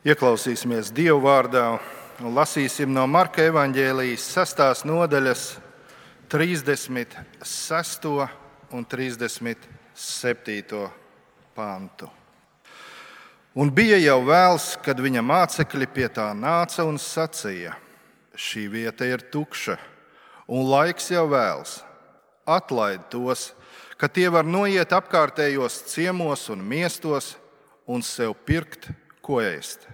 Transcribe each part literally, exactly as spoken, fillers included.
Ieklausīsimies Dieva vārdā un lasīsim no Marka evaņģēlijas sestās nodaļas trīsdesmit sesto un trīsdesmit septīto pantu. Un bija jau vēls, kad viņa mācekļi pie tā nāca un sacīja: šī vieta ir tukša, un laiks jau vēls. Atlaid tos, ka tie var noiet apkārtējos ciemos un miestos un sev pirkt, ko ēst.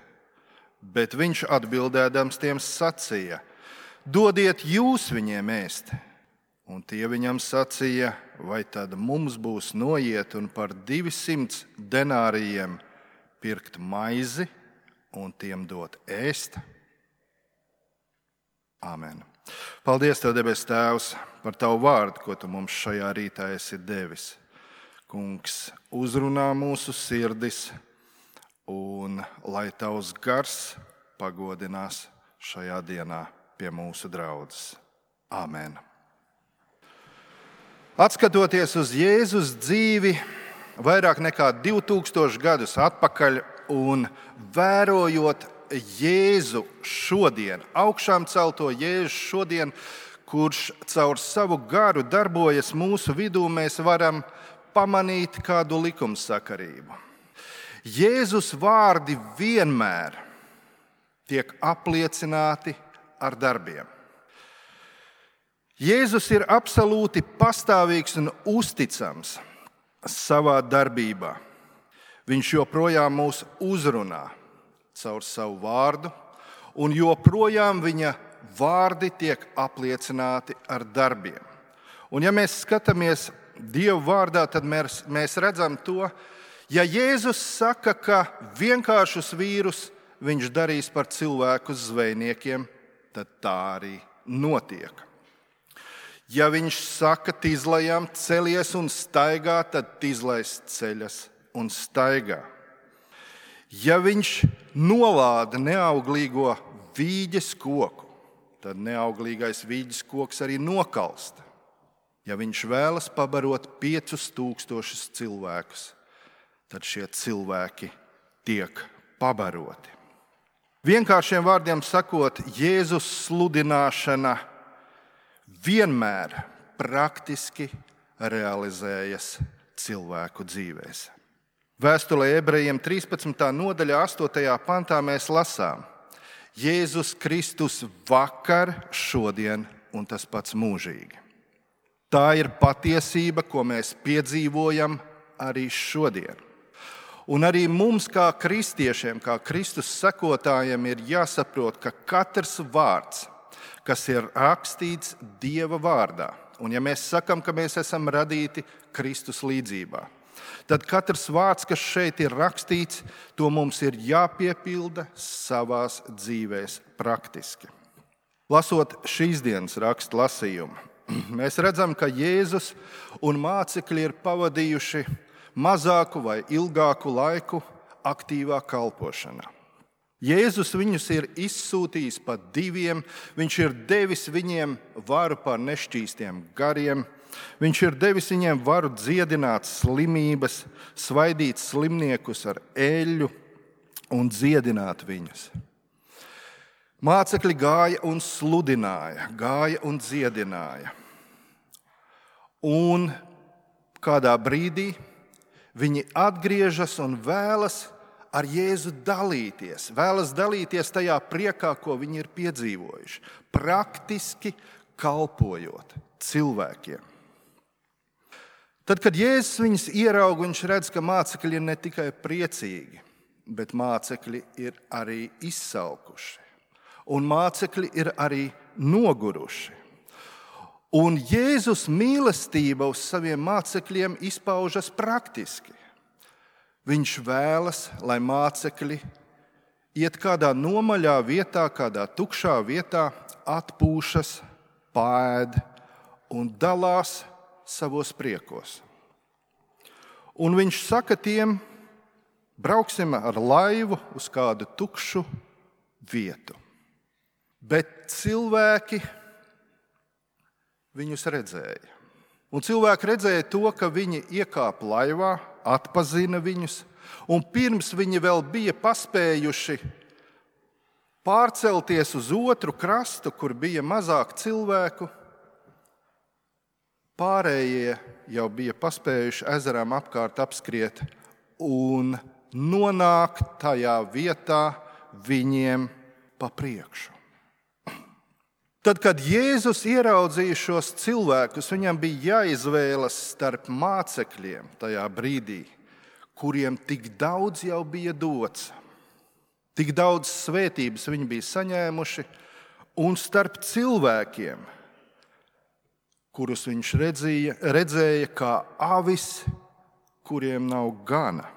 Bet viņš atbildēdams tiem sacīja: dodiet jūs viņiem ēst. Un tie viņam sacīja: vai tad mums būs noiet un par divsimt denārijiem pirkt maizi un tiem dot ēst? Āmen. Paldies Tev, debes Tēvs, par Tavu vārdu, ko Tu mums šajā rītā esi devis. Kungs, uzrunā mūsu sirdis, un lai Tavs gars pagodinās šajā dienā pie mūsu draudzes. Āmen. Atskatoties uz Jēzus dzīvi vairāk nekā divi tūkstoši gadus atpakaļ un vērojot Jēzu šodien, augšām celto Jēzu šodien, kurš caur savu garu darbojas mūsu vidū, mēs varam pamanīt kādu likumsakarību. Jēzus vārdi vienmēr tiek apliecināti ar darbiem. Jēzus ir absolūti pastāvīgs un uzticams savā darbībā. Viņš joprojām mūs uzrunā caur savu vārdu, un joprojām viņa vārdi tiek apliecināti ar darbiem. Un ja mēs skatāmies Dieva vārdā, tad mēs, mēs redzam to, ja Jēzus saka, ka vienkāršus vīrus viņš darīs par cilvēku zvejniekiem, tad tā arī notiek. Ja viņš saka tizlajam celies un staigā, tad tizlais ceļas un staigā. Ja viņš nolāda neauglīgo vīģes koku, tad neauglīgais vīģes koks arī nokalsta. Ja viņš vēlas pabarot piecus tūkstošus cilvēkus, tad šie cilvēki tiek pabaroti. Vienkāršiem vārdiem sakot, Jēzus sludināšana vienmēr praktiski realizējas cilvēku dzīvēs. Vēstulē ebrejiem trīspadsmitā nodaļā astotajā pantā mēs lasām: Jēzus Kristus vakar, šodien un tas pats mūžīgi. Tā ir patiesība, ko mēs piedzīvojam arī šodien. Un arī mums, kā kristiešiem, kā Kristus sekotājiem, ir jāsaprot, ka katrs vārds, kas ir rakstīts Dieva vārdā, un ja mēs sakam, ka mēs esam radīti Kristus līdzībā, tad katrs vārds, kas šeit ir rakstīts, to mums ir jāpiepilda savās dzīvēs praktiski. Lasot šīs dienas rakstu lasījumu, mēs redzam, ka Jēzus un mācekļi ir pavadījuši mazāku vai ilgāku laiku aktīvā kalpošanā. Jēzus viņus ir izsūtījis pa diviem, viņš ir devis viņiem varu pār nešķīstiem gariem, viņš ir devis viņiem varu dziedināt slimības, svaidīt slimniekus ar eļļu un dziedināt viņus. Mācekļi gāja un sludināja, gāja un dziedināja. Un kādā brīdī viņi atgriežas un vēlas ar Jēzu dalīties, vēlas dalīties tajā priekā, ko viņi ir piedzīvojuši, praktiski kalpojot cilvēkiem. Tad, kad Jēzus viņus ierauga, viņš redz, ka mācekļi ir ne tikai priecīgi, bet mācekļi ir arī izsalkuši. Un mācekļi ir arī noguruši. Un Jēzus mīlestība uz saviem mācekļiem izpaužas praktiski. Viņš vēlas, lai mācekļi iet kādā nomaļā vietā, kādā tukšā vietā, atpūšas, paēd un dalās savos priekos. Un viņš saka tiem: brauksim ar laivu uz kādu tukšu vietu. Bet cilvēki viņus redzēja. Un cilvēki redzēja to, ka viņi iekāpa laivā, atpazina viņus, un pirms viņi vēl bija paspējuši pārcelties uz otru krastu, kur bija mazāk cilvēku. Pārējie jau bija paspējuši ezerām apkārt apskriet un nonākt tajā vietā viņiem pa priekšu. Tad, kad Jēzus ieraudzīja šos cilvēkus, viņam bija jāizvēlas starp mācekļiem tajā brīdī, kuriem tik daudz jau bija dots, tik daudz svētības viņi bija saņēmuši, un starp cilvēkiem, kurus viņš redzēja, redzēja kā avis, kuriem nav gana.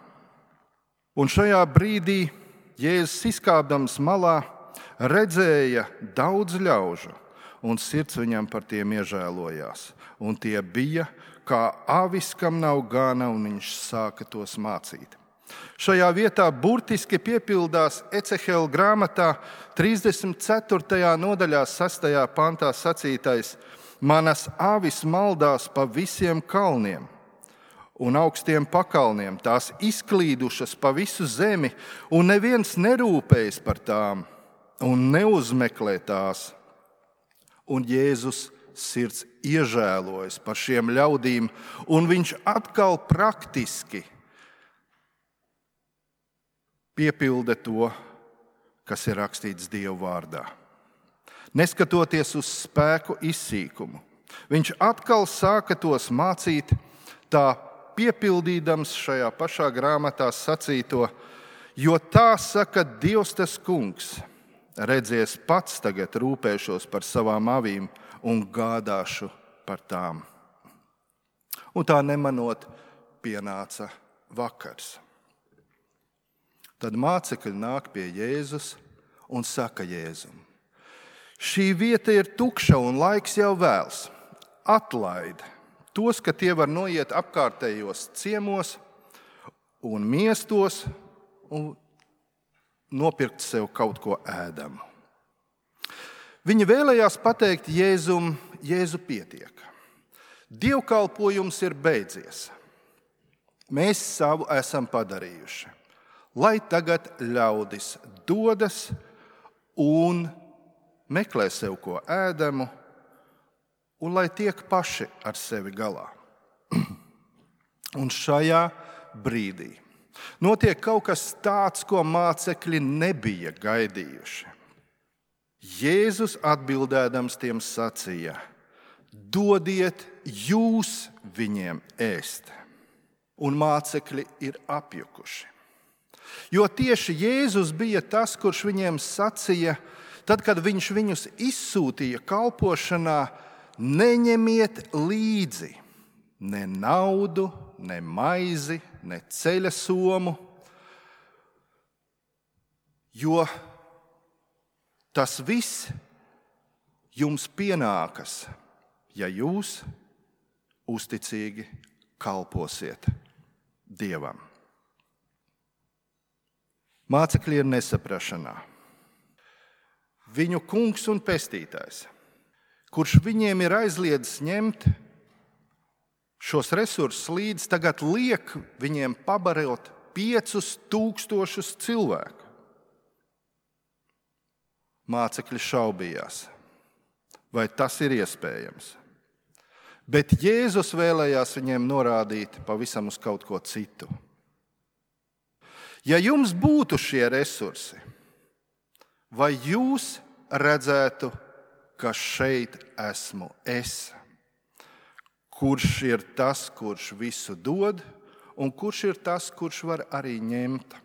Un šajā brīdī Jēzus izkāpdams malā redzēja daudz ļaužu, un sirds viņam par tiem iežēlojās. Un tie bija kā avis, kam nav gana, un viņš sāka tos mācīt. Šajā vietā burtiski piepildās Ecehela grāmatā trīsdesmit ceturtajā nodaļā sastajā pantā sacītais: manas avis maldās pa visiem kalniem un augstiem pakalniem, tās izklīdušas pa visu zemi, un neviens nerūpējas par tām un neuzmeklē tās. Un Jēzus sirds iežēlojas par šiem ļaudīm, un viņš atkal praktiski piepilda to, kas ir rakstīts Dieva vārdā. Neskatoties uz spēku izsīkumu, viņš atkal sāka tos mācīt, tā piepildīdams šajā pašā grāmatā sacīto, jo tā saka Dievs tas kungs: redzies, pats tagad rūpēšos par savām avīm un gādāšu par tām. Un tā nemanot pienāca vakars. Tad mācekļi nāk pie Jēzus un saka Jēzum: šī vieta ir tukša un laiks jau vēls. Atlaid tos, ka tie var noiet apkārtējos ciemos un miestos un nopirkt sev kaut ko ēdamu. Viņi vēlējās pateikt Jēzum: Jēzu, pietiek. Dievkalpojums ir beidzies. Mēs savu esam padarījuši. Lai tagad ļaudis dodas un meklē sev ko ēdamu, un lai tiek paši ar sevi galā. Un šajā brīdī notiek kaut kas tāds, ko mācekļi nebija gaidījuši. Jēzus atbildēdams tiem sacīja: dodiet jūs viņiem ēst. Un mācekļi ir apjukuši. Jo tieši Jēzus bija tas, kurš viņiem sacīja, tad, kad viņš viņus izsūtīja kalpošanā: neņemiet līdzi ne naudu, ne maizi, ne ceļa somu, jo tas viss jums pienākas, ja jūs uzticīgi kalposiet Dievam. Mācekļi ir nesaprašanā. Viņu kungs un pestītājs, kurš viņiem ir aizliedzis ņemt šos resursus līdzi, tagad liek viņiem pabarot piecus tūkstošus cilvēku. Mācekļi šaubījās, vai tas ir iespējams. Bet Jēzus vēlējās viņiem norādīt pavisam uz kaut ko citu. Ja jums būtu šie resursi, vai jūs redzētu, ka šeit esmu es, kurš ir tas, kurš visu dod, un kurš ir tas, kurš var arī ņemt?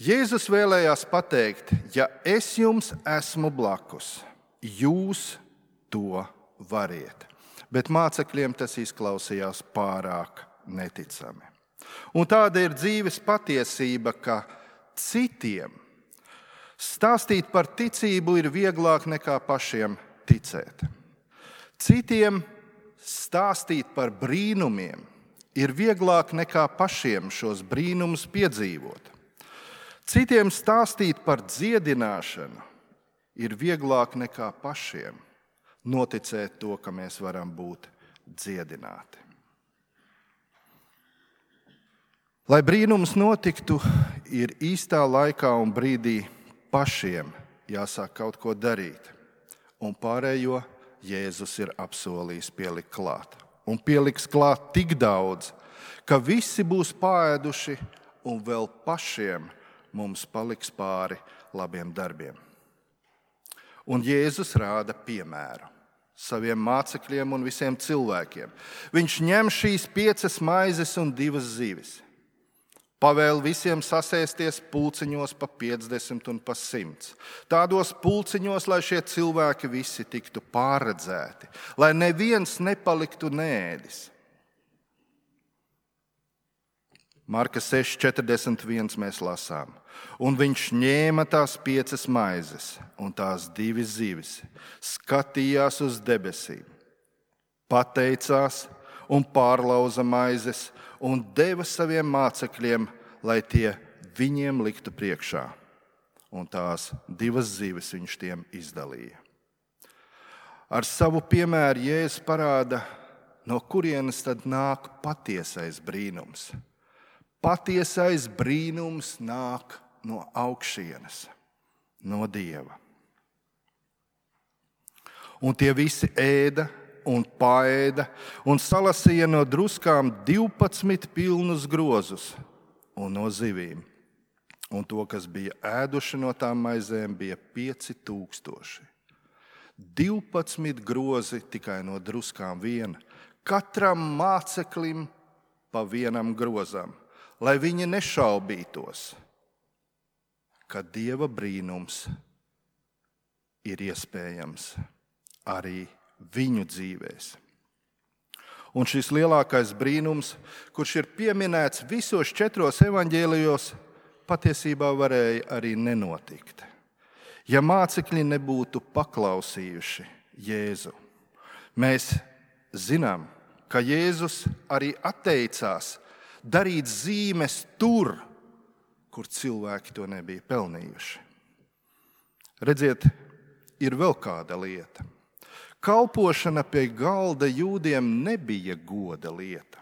Jēzus vēlējās pateikt: ja es jums esmu blakus, jūs to variet. Bet mācekļiem tas izklausījās pārāk neticami. Un tāda ir dzīves patiesība, ka citiem stāstīt par ticību ir vieglāk nekā pašiem ticēt. Citiem stāstīt par brīnumiem ir vieglāk nekā pašiem šos brīnumus piedzīvot. Citiem stāstīt par dziedināšanu ir vieglāk nekā pašiem noticēt to, ka mēs varam būt dziedināti. Lai brīnums notiktu, ir īstā laikā un brīdī pašiem jāsāk kaut ko darīt. Un pārējo Jēzus ir apsolījis pielikt klāt. Un pieliks klāt tik daudz, ka visi būs paēduši un vēl pašiem mums paliks pāri labiem darbiem. Un Jēzus rāda piemēru saviem mācekļiem un visiem cilvēkiem. Viņš ņem šīs piecas maizes un divas zivis. Pavēl visiem sasēsties pulciņos pa piecdesmit un pa simts. Tādos pulciņos, lai šie cilvēki visi tiktu pārredzēti, lai neviens nepaliktu neēdis. Marka seši četrdesmit viens mēs lasām. Un viņš ņēma tās piecas maizes un tās divas zivis, skatījās uz debesīm, pateicās un pārlauza maizes un deva saviem mācekļiem, lai tie viņiem liktu priekšā. Un tās divas zivis viņš tiem izdalīja. Ar savu piemēru Jēzus parāda, no kurienes tad nāk patiesais brīnums. Patiesais brīnums nāk no augšienes, no Dieva. Un tie visi ēda un paēda un salasīja no druskām divpadsmit pilnus grozus un no zivīm. Un to, kas bija ēduši no tām maizēm, bija pieci tūkstoši. Divpadsmit grozi tikai no druskām viena. Katram māceklim pa vienam grozam, lai viņi nešaubītos, ka Dieva brīnums ir iespējams arī viņu dzīvēs. Un šis lielākais brīnums, kurš ir pieminēts visos četros evaņģēlijos, patiesībā varēja arī nenotikt, ja mācekļi nebūtu paklausījuši Jēzu. Mēs zinām, ka Jēzus arī atteicās darīt zīmes tur, kur cilvēki to nebija pelnījuši. Redziet, ir vēl kāda lieta. Kalpošana pie galda jūdiem nebija goda lieta.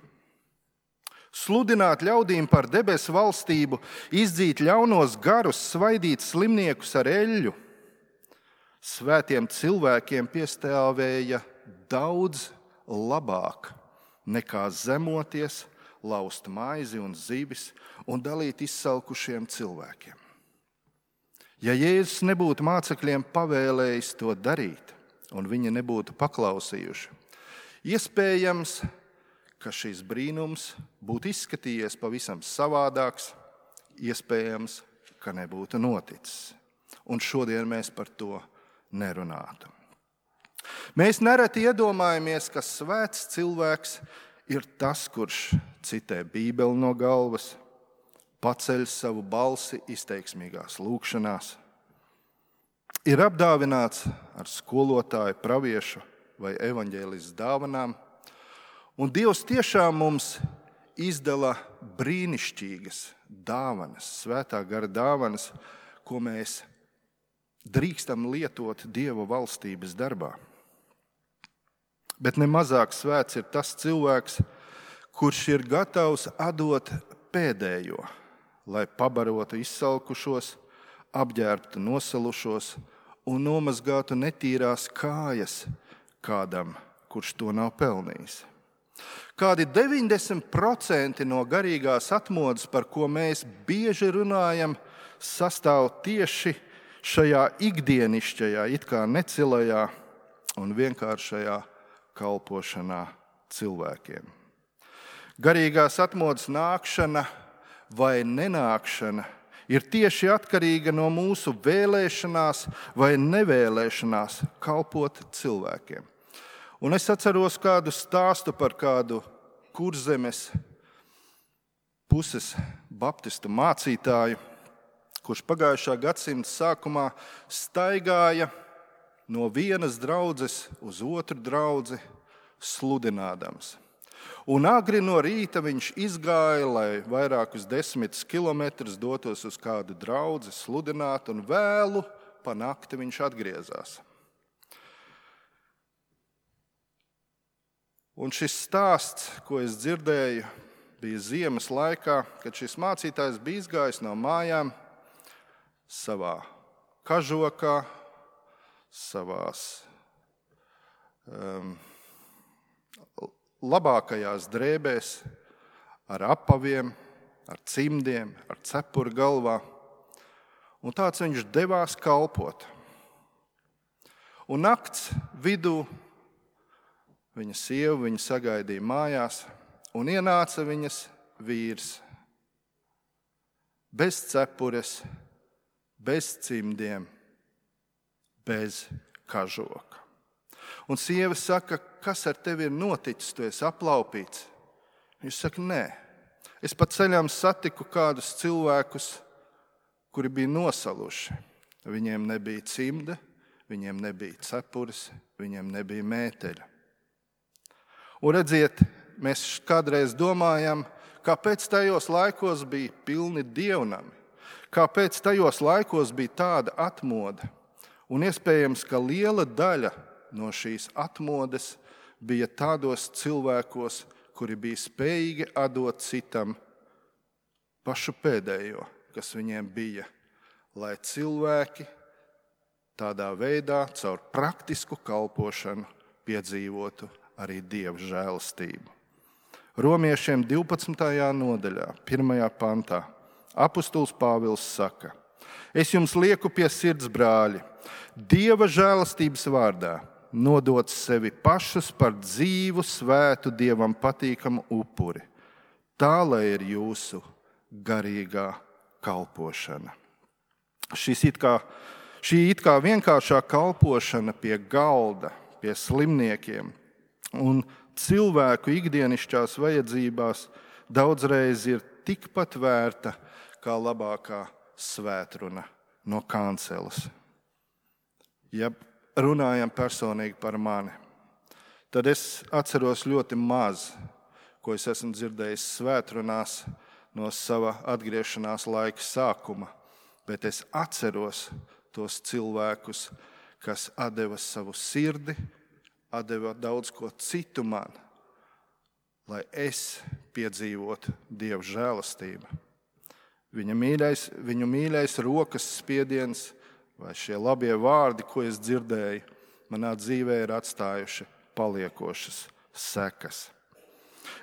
Sludināt ļaudīm par debesu valstību, izdzīt ļaunos garus, svaidīt slimniekus ar eļļu. Svētiem cilvēkiem piestāvēja daudz labāk nekā zemoties, laust maizi un zivis un dalīt izsalkušiem cilvēkiem. Ja Jēzus nebūtu mācekļiem pavēlējis to darīt, un viņi nebūtu paklausījuši, iespējams, ka šis brīnums būtu izskatījies pavisam savādāks, iespējams, ka nebūtu noticis. Un šodien mēs par to nerunātu. Mēs nereti iedomājamies, ka svēts cilvēks ir tas, kurš citē Bībeli no galvas, paceļ savu balsi izteiksmīgās lūgšanās, ir apdāvināts ar skolotāju, praviešu vai evaņģēlistu dāvanām, un Dievs tiešām mums izdala brīnišķīgas dāvanas, svētā gara dāvanas, ko mēs drīkstam lietot Dieva valstības darbā. Bet nemazāk svēts ir tas cilvēks, kurš ir gatavs atdot pēdējo, lai pabarotu izsalkušos, apģērbtu nosalušos un nomazgātu netīrās kājas kādam, kurš to nav pelnījis. Kādi deviņdesmit procenti no garīgās atmodas, par ko mēs bieži runājam, sastāv tieši šajā ikdienišķajā, it kā necilajā un vienkāršajā kalpošanā cilvēkiem. Garīgās atmodas nākšana vai nenākšana ir tieši atkarīga no mūsu vēlēšanās vai nevēlēšanās kalpot cilvēkiem. Un es atceros kādu stāstu par kādu Kurzemes puses baptistu mācītāju, kurš pagājušā gadsimta sākumā staigāja no vienas draudzes uz otru draudzi sludinādams. Un agri no rīta viņš izgāja, lai vairākus desmitus kilometrus dotos uz kādu draudzi sludināt, un vēlu pa nakti viņš atgriezās. Un šis stāsts, ko es dzirdēju, bija ziemas laikā, kad šis mācītājs bija izgājis no mājām savā kažokā, savās um, labākajās drēbēs, ar apaviem, ar cimdiem, ar cepuri galvā. Un tāds viņš devās kalpot. Un nakts vidū viņa sieva viņu sagaidīja mājās, un ienāca viņas vīrs. Bez cepures, bez cimdiem, bez kažoka. Un sieva saka, kas ar tevi ir noticis, tu esi aplaupīts. Viņš saka, nē, es pa ceļām satiku kādus cilvēkus, kuri bija nosaluši. Viņiem nebija cimda, viņiem nebija cepures, viņiem nebija mēteļa. Un redziet, mēs kādreiz domājam, kāpēc tajos laikos bija pilni dievnami, kāpēc tajos laikos bija tāda atmoda. Un iespējams, ka liela daļa no šīs atmodes bija tādos cilvēkos, kuri bija spējīgi atdot citam pašu pēdējo, kas viņiem bija, lai cilvēki tādā veidā caur praktisku kalpošanu piedzīvotu arī Dieva žēlastību. Romiešiem divpadsmitajā nodaļā, pirmajā pantā, apustulis Pāvils saka: Es jums lieku pie sirds, brāļi, Dieva žēlastības vārdā nodot sevi pašus par dzīvu, svētu, Dievam patīkamu upuri. Tā, lai ir jūsu garīgā kalpošana. Šis it kā, šī it kā vienkāršā kalpošana pie galda, pie slimniekiem un cilvēku ikdienišķās vajadzībās daudzreiz ir tikpat vērta kā labākā svētruna no kanceles. Ja runājam personīgi par mani, tad es atceros ļoti maz, ko es esmu dzirdējis svētrunās no sava atgriešanās laika sākuma, bet es atceros tos cilvēkus, kas atdeva savu sirdi, atdeva daudz ko citu man, lai es piedzīvotu Dieva žēlastību. Viņa mīļais, viņu mīļais rokas spiediens vai šie labie vārdi, ko es dzirdēju, manā dzīvē ir atstājuši paliekošas sekas.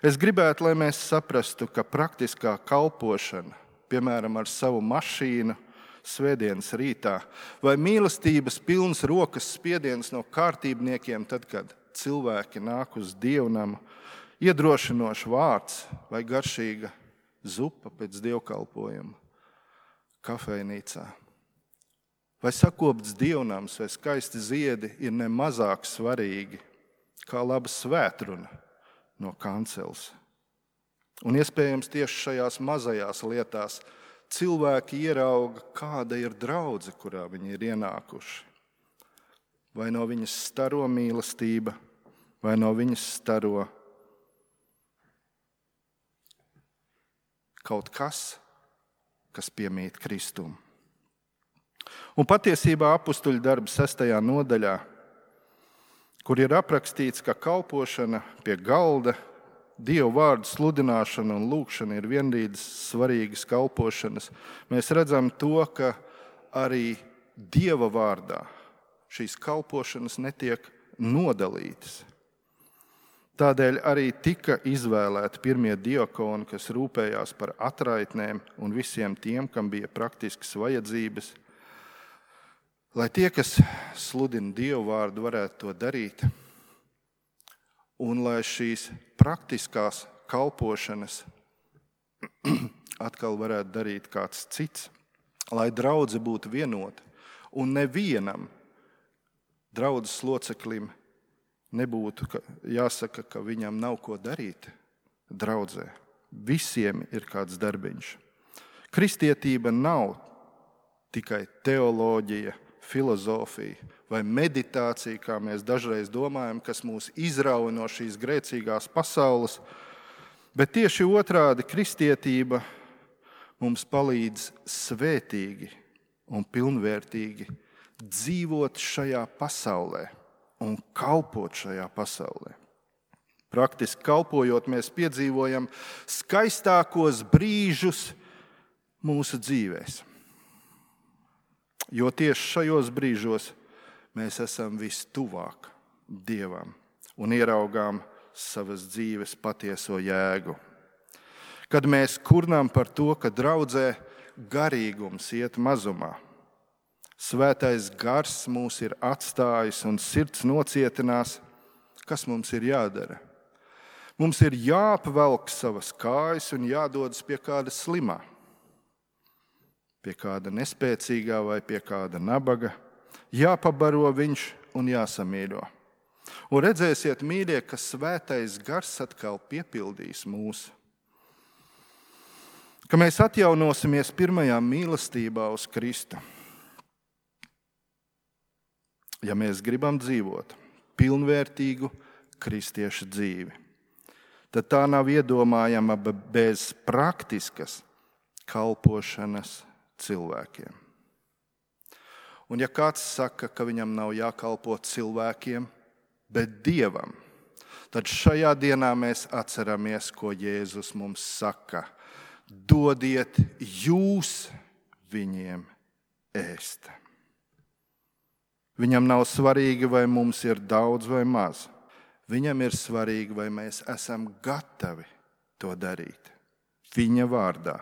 Es gribētu, lai mēs saprastu, ka praktiskā kalpošana, piemēram, ar savu mašīnu, svētdienas rītā, vai mīlestības pilns rokas spiediens no kārtībniekiem, tad, kad cilvēki nāk uz dievnamu, iedrošinošs vārds vai garšīga zupa pēc dievkalpojuma kafejnīcā. Vai sakopts dievnams vai skaisti ziedi ir ne mazāk svarīgi kā laba svētruna no kanceles. Un iespējams tieši šajās mazajās lietās cilvēki ierauga, kāda ir draudze, kurā viņi ir ienākuši. Vai no viņas staro mīlestība, vai no viņas staro kaut kas, kas piemīt Kristum. Un patiesībā apustuļu darba sestajā nodaļā, kur ir aprakstīts, ka kalpošana pie galda, Dievu vārdu sludināšana un lūgšana ir vienlīdz svarīgas kalpošanas, mēs redzam to, ka arī Dieva vārdā šīs kalpošanas netiek nodalītas. Tādēļ arī tika izvēlēti pirmie diakoni, kas rūpējās par atraitnēm un visiem tiem, kam bija praktiskas vajadzības, lai tie, kas sludina Dievu vārdu, varētu to darīt, un lai šīs praktiskās kalpošanas atkal varētu darīt kāds cits, lai draudze būtu vienota, un nevienam draudzes loceklim nebūtu jāsaka, ka viņam nav ko darīt draudzē. Visiem ir kāds darbiņš. Kristietība nav tikai teoloģija, filozofija vai meditācija, kā mēs dažreiz domājam, kas mūs izrauj no šīs grēcīgās pasaules, bet tieši otrādi kristietība mums palīdz svētīgi un pilnvērtīgi dzīvot šajā pasaulē un kalpot šajā pasaulē. Praktiski kalpojot, mēs piedzīvojam skaistākos brīžus mūsu dzīvēs. Jo tieši šajos brīžos mēs esam vistuvāk Dievam un ieraugām savas dzīves patieso jēgu. Kad mēs kurnām par to, ka draudzē garīgums iet mazumā, Svētais Gars mūs ir atstājis un sirds nocietinās, kas mums ir jādara? Mums ir jāapvelk savas kājas un jādodas pie kāda slimā, pie kāda nespēcīgā vai pie kāda nabaga, jāpabaro viņš un jāsamīļo. Un redzēsiet, mīļie, ka Svētais Gars atkal piepildīs mūs. Ka mēs atjaunosimies pirmajā mīlestībā uz Kristu. Ja mēs gribam dzīvot pilnvērtīgu kristiešu dzīvi, tad tā nav iedomājama bez praktiskas kalpošanas cilvēkiem. Un ja kāds saka, ka viņam nav jākalpo cilvēkiem, bet Dievam, tad šajā dienā mēs atceramies, ko Jēzus mums saka. Dodiet jūs viņiem ēst. Viņam nav svarīgi, vai mums ir daudz vai maz. Viņam ir svarīgi, vai mēs esam gatavi to darīt. Viņa vārdā,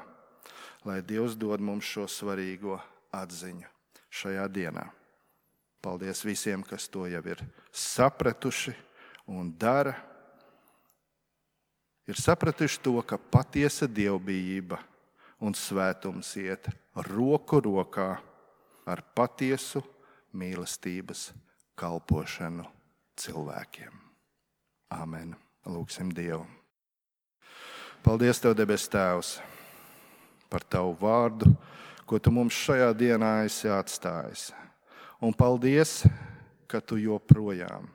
lai Dievs dod mums šo svarīgo atziņu šajā dienā. Paldies visiem, kas to jau ir sapratuši un dara. Ir sapratuši to, ka patiesa dievbijība un svētums iet roku rokā ar patiesu mīlestības kalpošanu cilvēkiem. Āmen. Lūgsim Dievu. Paldies Tev, debes Tēvs, par Tavu vārdu, ko Tu mums šajā dienā esi atstājis. Un paldies, ka Tu joprojām,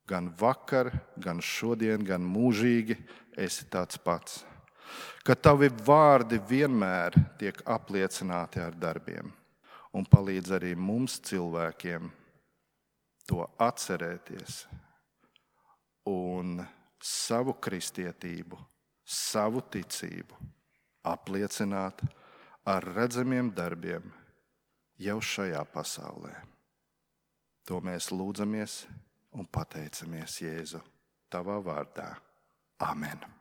gan vakar, gan šodien, gan mūžīgi esi tāds pats. Ka Tavi vārdi vienmēr tiek apliecināti ar darbiem. Un palīdz arī mums cilvēkiem to atcerēties un savu kristietību, savu ticību apliecināt ar redzamiem darbiem jau šajā pasaulē. To mēs lūdzamies un pateicamies Jēzu Tavā vārdā. Amen.